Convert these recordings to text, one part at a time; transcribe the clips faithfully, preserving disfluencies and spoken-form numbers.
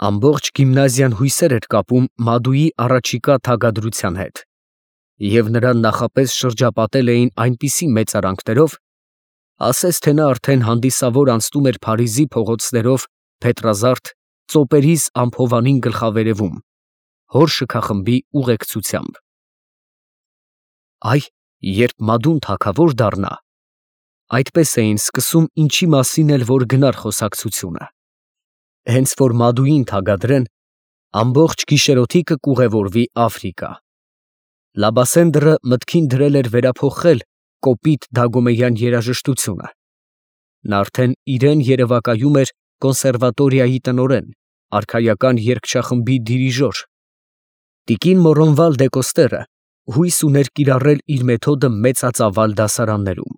Ամբողջ գիմնազիան հույսեր էր կապում Մադուի առաջիկա թագադրության հետ, և նրան նախապես շրջապատել էին այնպիսի մեծարանքներով, ասես թե նա արդեն հանդիսավոր անցնում էր Փարիզի փողոցներով փետրազարդ ծոպերիս անփովանին գլխավերևում, հոր շքախմբի ուղեկցությամբ։ Այ, երբ Մադուն թագավոր դառնա, այդպես էին սկսում ինչի մասին էլ որ գնար խոսակցությունը։ Հենց որ Մադուին թագադրեն, ամբողջ գիշերօթիկը կուղևորվի Աֆրիկա։ Լաբասենդրը մտքին դրել էր վերափոխել կոպիտ Դագոմեյան երաժշտությունը։ Նա արդեն իրեն երևակայում էր կոնսերվատորիայի տնօրեն, արքայական երգչախմբի դիրիժոր։ Տիկին Մորոնվալ դե Կոստերը հույս ուներ կիրառել իր մեթոդը մեծածավալ դասարաններում,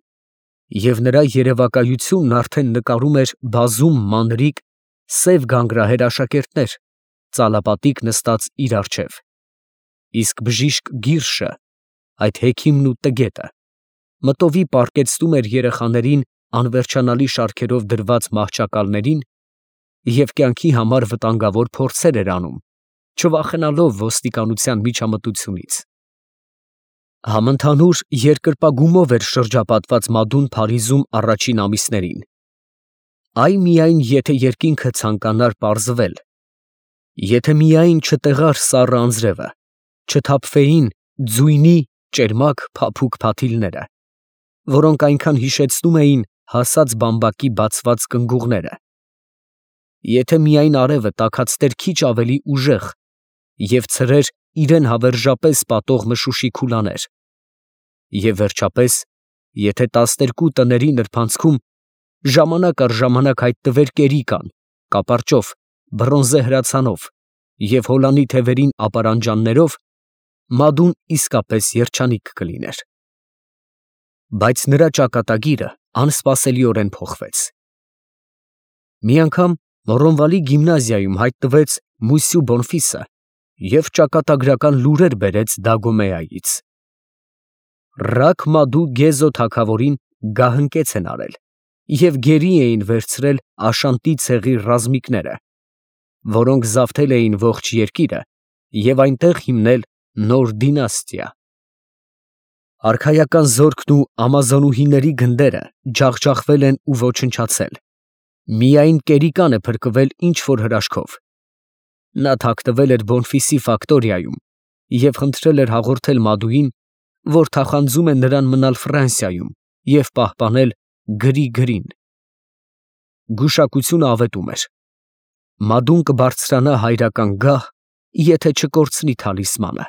և նրա երևակայությունն արդեն նկարում էր բազում մանրիկ, սև գանգրահեր աշակերտներ, ծալապատիկ նստած իր առջև, իսկ բժիշկ Գիրշը, այդ հեքիմն ու տգետը, մտովի պառկեցնում էր երեխաներին անվերջանալի շարքերով դրված մահճակալներին և կյանքի համար վտանգավոր փորձեր էր անում, չվախենալով ոստիկանության միջամտությունից։ Համընդհանուր երկրպագումով էր շրջապատված Մադուն Փարիզում առաջին ամիսներին, այ միայն եթե երկինքը ցանկանար պարզվել, եթե միայն չտեղար սառը անձրևը, չթափվեին ձույնի ճերմակ փափուկ փաթիլները, որոնք այնքան հիշեցնում էին հասած բամբակի բացված կնգուղները, եթե միայն արևը տաքացներ քիչ ավելի ուժեղ և ցրեր իրեն հավերժապես պատող մշուշի քուլաներ, և վերջապես, եթե տասներկու տների նրբանցքում ժամանակ առ ժամանակ հայտնվեր կերիկան, կապարճով, բրոնզե հրացանով և հոլանի թևերին ապարանջաններով, Մադուն իսկապես երջանիկ կլիներ։ Բայց նրա ճակատագիրը անսպասելիորեն փոխվեց։ Մի անգամ Մորոնվալի գիմնազիայում հայտնվեց Մուսյու Բոնֆիսը և ճակատագրական լուրեր բերեց Դագոմեայից։ Ռակ Մադու Գեզո թագավորին գահընկեց են արել և գերի էին վերցրել Աշանտի ցեղի ռազմիկները, որոնք զավթել էին ողջ երկիրը և այնտեղ հիմնել նոր դինաստիա։ Արքայական զորքն ու ամազոնուհիների գնդերը ջախջախվել են ու ոչնչացել, միայն կերիկան է փրկվել ինչ֊որ հրաշքով։ Նա թաքնվել էր Բոնֆիսի ֆակտորիայում և խնդրել էր հաղորդել Մադուին, որ թախանձում է նրան մնալ Ֆրանսիայում և պահպանել գրի գրին։ Գուշակությունը ավետում էր. Մադուն կբարձրանա հայրական գահ, եթե չկորցնի թալիսմանը։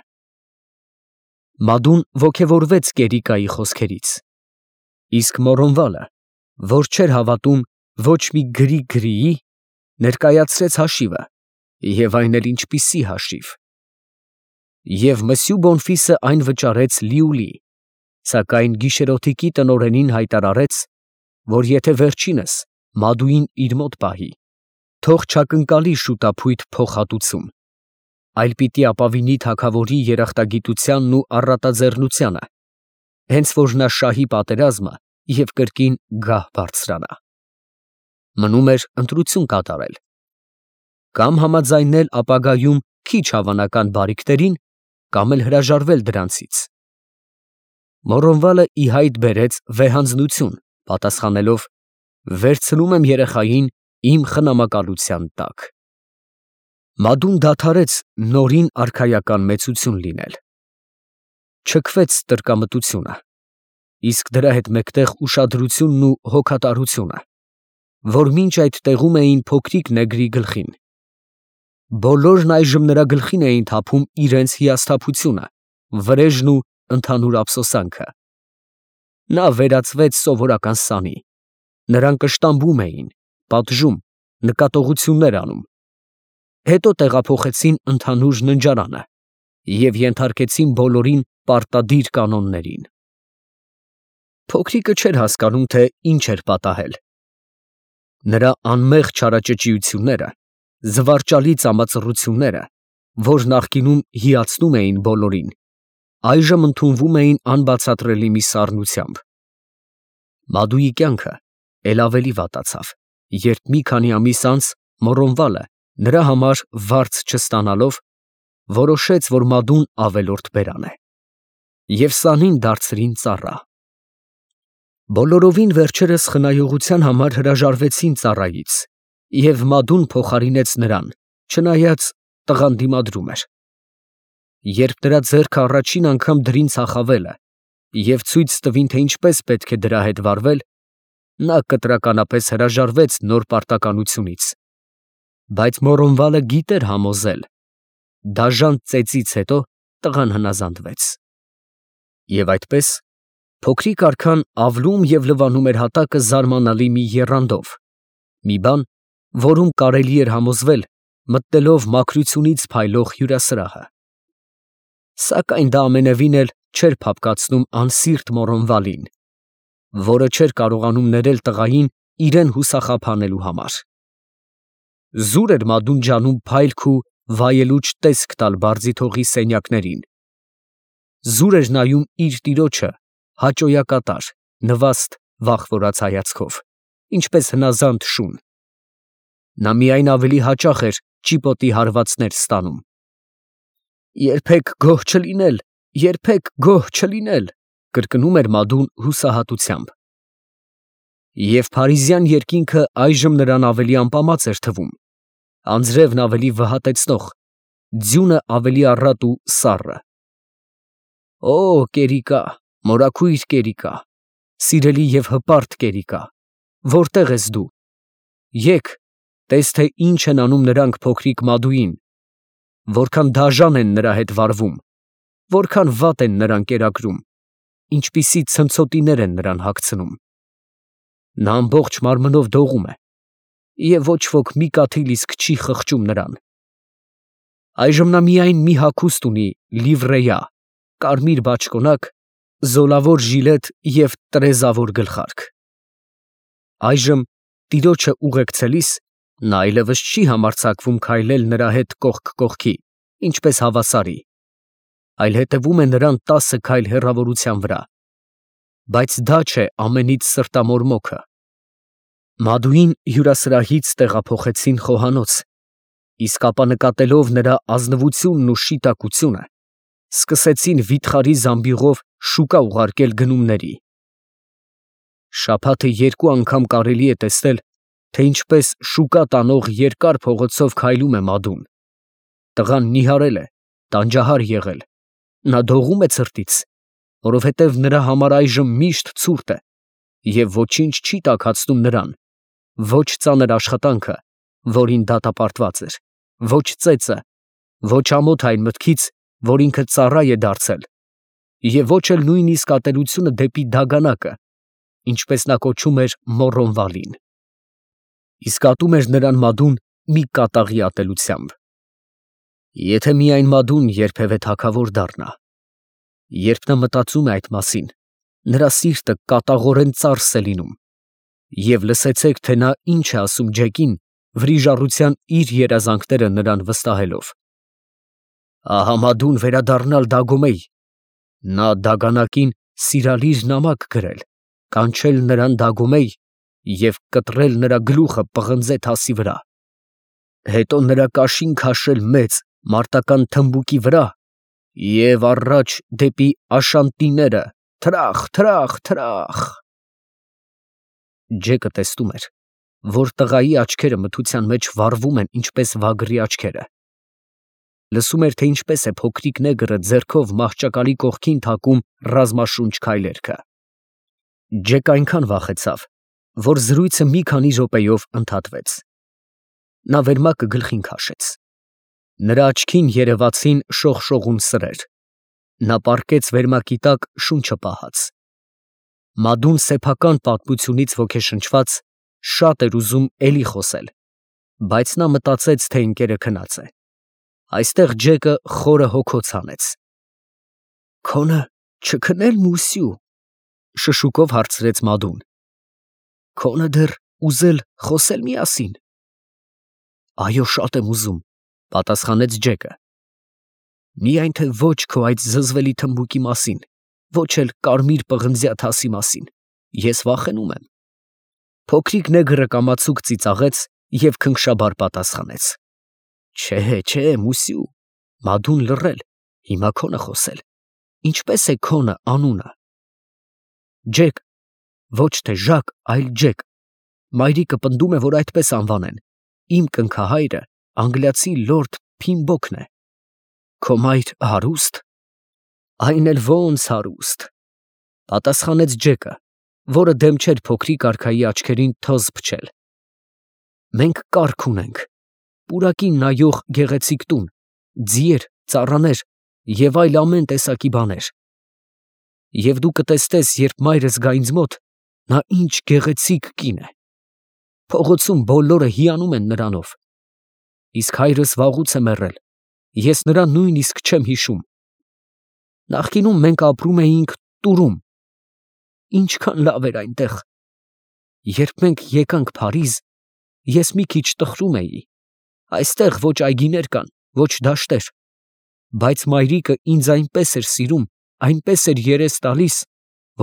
Մադուն ոգևորվեց կերիկայի խոսքերից, իսկ Մորոնվալը, որ չէր հավատում ոչ մի գրի գրիի, ներկայացրեց հաշիվը, և այն էլ ինչպիսի հաշիվ։ Եվ Մսյու Բոնֆիսը այն վճարեց լիուլի, սակայն գիշերօթիկի տնօրենին հայտարարեց, որ եթե վերջինս Մադուին իր մոտ պահի, թող չակնկալի շուտափույթ փոխհատուցում, այլ պիտի ապավինի թագավորի երախտագիտությանն ու առատաձեռնությանը, հենց որ նա շահի պատերազմը և կրկին գահ բարձրանա։ Մնում էր ընտրություն կատարել. կամ համաձայնել ապագայում քիչ հավանական բարիքներին, կամ էլ հրաժարվել դրանցից։ Մորոնվալը ի հայտ բերեց վեհանձնություն, պատասխանելով. «Վերցնում եմ երեխային իմ խնամակալության տակ»։ Մադուն դադարեց նորին արքայական մեծություն լինել։ Չքվեց տրկամտությունը, իսկ դրա հետ մեկտեղ ուշադրությունն ու հոգատարությունը, որ մինչ այդ տեղում էին փոքրիկ նեգրի գլխին։ Բոլորն այժմ նրա գլխին էին թափում իրենց հիասթափությունը, վրեժն ու ընդհանուր ափսոսանքը։ Նա վերածվեց սովորական սանի, նրան կշտամբում էին, պատժում, նկատողություններ անում։ Հետո տեղափոխեցին ընդհանուր ննջարանը և ենթարկեցին բոլորին պարտադիր կանոններին։ Փոքրիկը չէր հասկանում, թե ինչ էր պատահել։ Նրա անմեղ չարաճճիությունները, զվարճալի ծամածռությունները, որ նախկինում հիացնում էին բոլորին, այժմ ընդունվում էին անբացատրելի մի սառնությամբ։ Մադուի կյանքը էլ ավելի վատացավ, երբ մի քանի ամիս անց Մորոնվալը նրա համար վարձ չստանալով, որոշեց, որ Մադուն ավելորդ բերան է, և սանին դարձրին ծառա։ Բոլորովին վերջերս խնայողության համար հրաժարվեցին ծառայից, և Մադուն փոխարինեց նրան, չնայած տղան դիմադրում էր։ Երբ նրա ձեռքը առաջին անգամ դրին ծախավելը և ցույց տվին, թե ինչպես պետք է դրա հետ վարվել, նա կտրականապես հրաժարվեց նոր պարտականությունից, բայց Մորոնվալը գիտեր համոզել, դաժան ծեծից հետո տղան հնազանդվեց։ Եվ այդպես փոքրիկ արքան ավլում և լվանում էր հատակը զարմանալի մի եռանդով, մի բան, որում կարելի էր համոզվել, մտնելով մաքրությունից փայլող հյուրասրահը։ Սակայն դա ամենևին էլ չէր փափկացնում անսիրտ Մորոնվալին, որը չէր կարողանում ներել տղային իրեն հուսախաբանելու համար։ Զուր էր Մադուն ջանում փայլք ու վայելուչ տեսք տալ բարձիթողի սենյակներին, զուր էր նայում իր տիրոջը հաճոյակատար, նվաստ, վախվորած հայացքով, ինչպես հնազանդ շուն։ Նա միայն ավելի հաճախ էր ճիպոտի հարվածներ ստանում։ «Երբեք գոհ չլինել, երբեք գոհ չլինել», կրկնում էր Մադուն հուսահատությամբ։ Եվ փարիզյան երկինքը այժմ նրան ավելի ամպամած էր թվում, անձրևն ավելի վհատեցնող, ձյունը ավելի առատ ու սառը։ Օ, կերիկա, մորաքույր կերիկա, սիրելի և հպարտ կերիկա, որտե՞ղ ես դու։ Եկ, տես, թե ինչ են անում նրանք փոքրիկ Մադուին, որքան դաժան են նրա հետ վարվում, որքան վատ են նրան կերակրում, ինչպիսի ցնցոտիներ են նրան հագցնում։ Նա ամբողջ մարմնով դողում է, և ոչ ոք մի կաթիլ իսկ չի խղճում նրան։ Այժմ նա միայն մի հագուստ ունի լիվրեյա, կարմիր բաճկոնակ, զոլավոր ժիլետ և տրեզավոր գլխարկ։ Այժմ տիրոջը ուղեկցելիս նա այլևս չի համարձակվում քայլել նրա հետ կողք կողքի, ինչպես հավասարի, այլ հետևում է նրան տասը քայլ հեռավորության վրա, բայց դա չէ ամենից սրտամորմոքը։ Մադուին հյուրասրահից տեղափոխեցին խոհանոց, իսկ ապա նկատելով նրա ազնվությունն ու շիտակությունը, սկսեցին վիթխարի զամբյուղով շուկա ուղարկել գնումների։ Շաբաթը երկու անգամ կարելի է տեսնել, թե ինչպես շուկա տանող երկար փողոցով քայլում է Մադուն։ Տղան նիհարել է, տանջահար եղել, նա դողում է ցրտից, որովհետև նրա համար այժմ միշտ ցուրտ է, և ոչինչ չի տաքացնում նրան, ոչ ծանր աշխատանքը, որին դատապարտված էր, ոչ ծեծը, ոչ ամոթ այն մտքից, որ ինքը ծառա է դարձել, և ոչ էլ նույնիսկ ատելությունը դեպի դագանակը, ինչպես նա կոչում էր Մոռոնվալին։ Իսկ ատում էր նրան Մադուն մի կատաղի ատելությամբ։ Եթե միայն Մադուն երբևէ թագավոր դառնա։ Երբ նա մտածում է այդ մասին, նրա սիրտը կատաղորեն ծարս է լինում, և լսեցեք, թե նա ինչ է ասում Ջեկին, վրիժառության իր երազանքները նրան վստահելով. «Ահա Մադուն վերադառնալ Դագոմեյ, նա դագանակին սիրալիր նամակ գրել, կանչել նրան Դագոմեյ և կտրել նրա գլուխը պղնձե թասի վրա, հետո նրա կաշին քաշել մեծ մարտական թմբուկի վրա և առաջ դեպի Աշանտիները, թրախ, թրախ, թրախ»։ Ջեկը տեսնում էր, որ տղայի աչքերը մթության մեջ վառվում են, ինչպես վագրի աչքերը։ Լսում էր, թե ինչպես է փոքրիկ նեգրը ձեռքով մահճակալի կողքին թակում ռազմաշունչ քայլերքը։ Ջեկը այնքան վախեցավ, որ զրույցը մի քանի րոպեով ընդհատվեց։ Նա վերմակը գլխին քաշեց։ Նրա աչքին երևացին շողշողուն սրեր։ Նա պառկեց վերմակի տակ շունչը պահած։ Մադուն սեփական պատմությունից ոգեշնչված, շատ էր ուզում էլի խոսել, բայց նա մտածեց, թե ընկերը քնած է։ Այստեղ Ջեկը խորը հոգոց հանեց։ «Քոնը չքնել, մուսյու», շշուկով հարցրեց Մադուն։ «Քոնը դեռ ուզել խոսել միասին»։ «Այո, շատ եմ ուզում», պատասխանեց Ջեկը։ «Միայն թե ոչ քո այդ զզվելի թմբուկի մասին, ոչ էլ կարմիր պղնձյա թասի մասին, ես վախենում եմ»։ Փոքրիկ նեգրը կամացուկ ծիծաղեց և քնքշաբար պատասխանեց. Չէ, չէ, Մուսյու, Մադուն լռել, հիմա քոնը խոսել։ Ինչպես է քոնը անունը։ Ջեք, ոչ թե Ժակ, այլ Ջեք։ Մայրիկը պնդում է, որ այդպես անվանեն։ Իմ կնքահայրը անգլիացի լորդ Փիմբոկն է։ Քո մայր հարուստ։ Այն էլ ո՜նց հարուստ, պատասխանեց Ջեկը, որը դեմ չէր փոքրիկ արքայի աչքերին թոզ փչել։ Մենք կառք ունենք, պուրակին նայող գեղեցիկ տուն, ձիեր, ծառաներ և այլ ամեն տեսակի բաներ։ Եվ դու կտեսնես, երբ մայրս գա ինձ մոտ, նա ինչ գեղեցիկ կին է։ Փողոցում բոլորը հիանում են նրանով։ Իսկ հայրս վաղուց է մեռել, ես նրան նույնիսկ չեմ հիշում։ Նախկինում մենք ապրում էինք Տուրում, ինչքան լավ էր այնտեղ։ Երբ մենք եկանք Փարիզ, ես մի քիչ տխրում էի, այստեղ ոչ այգիներ կան, ոչ դաշտեր, բայց մայրիկը ինձ այնպես էր սիրում, այնպես էր երես տալիս,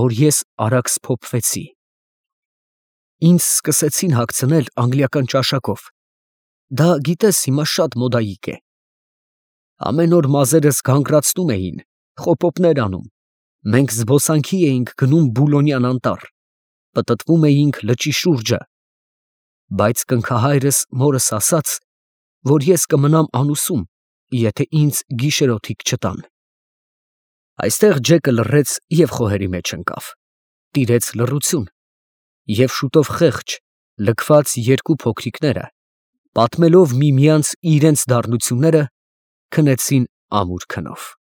որ ես արագ սփոփվեցի։ Ինձ սկսեցին հագցնել անգլիական ճաշակով, դա գիտես հիմա շատ մոդայիկ է։ Ամեն օր մազերս գանգրացնում էին, խոպոպներ անում, մենք զբոսանքի էինք գնում Բուլոնյան անտառ, պտտվում էինք լճի շուրջը, բայց կնքահայրս մորս ասաց, որ ես կմնամ անուսում, եթե ինձ գիշերօթիկ չտան։ Այստեղ Ջեկը լռեց և խոհերի մեջ ընկավ, տիրեց լռություն, և շուտով խեղճ, լքված երկու փոքրիկները, պատմելով միմյանց իրենց դառնությունները, քնեցին ամուր քնով։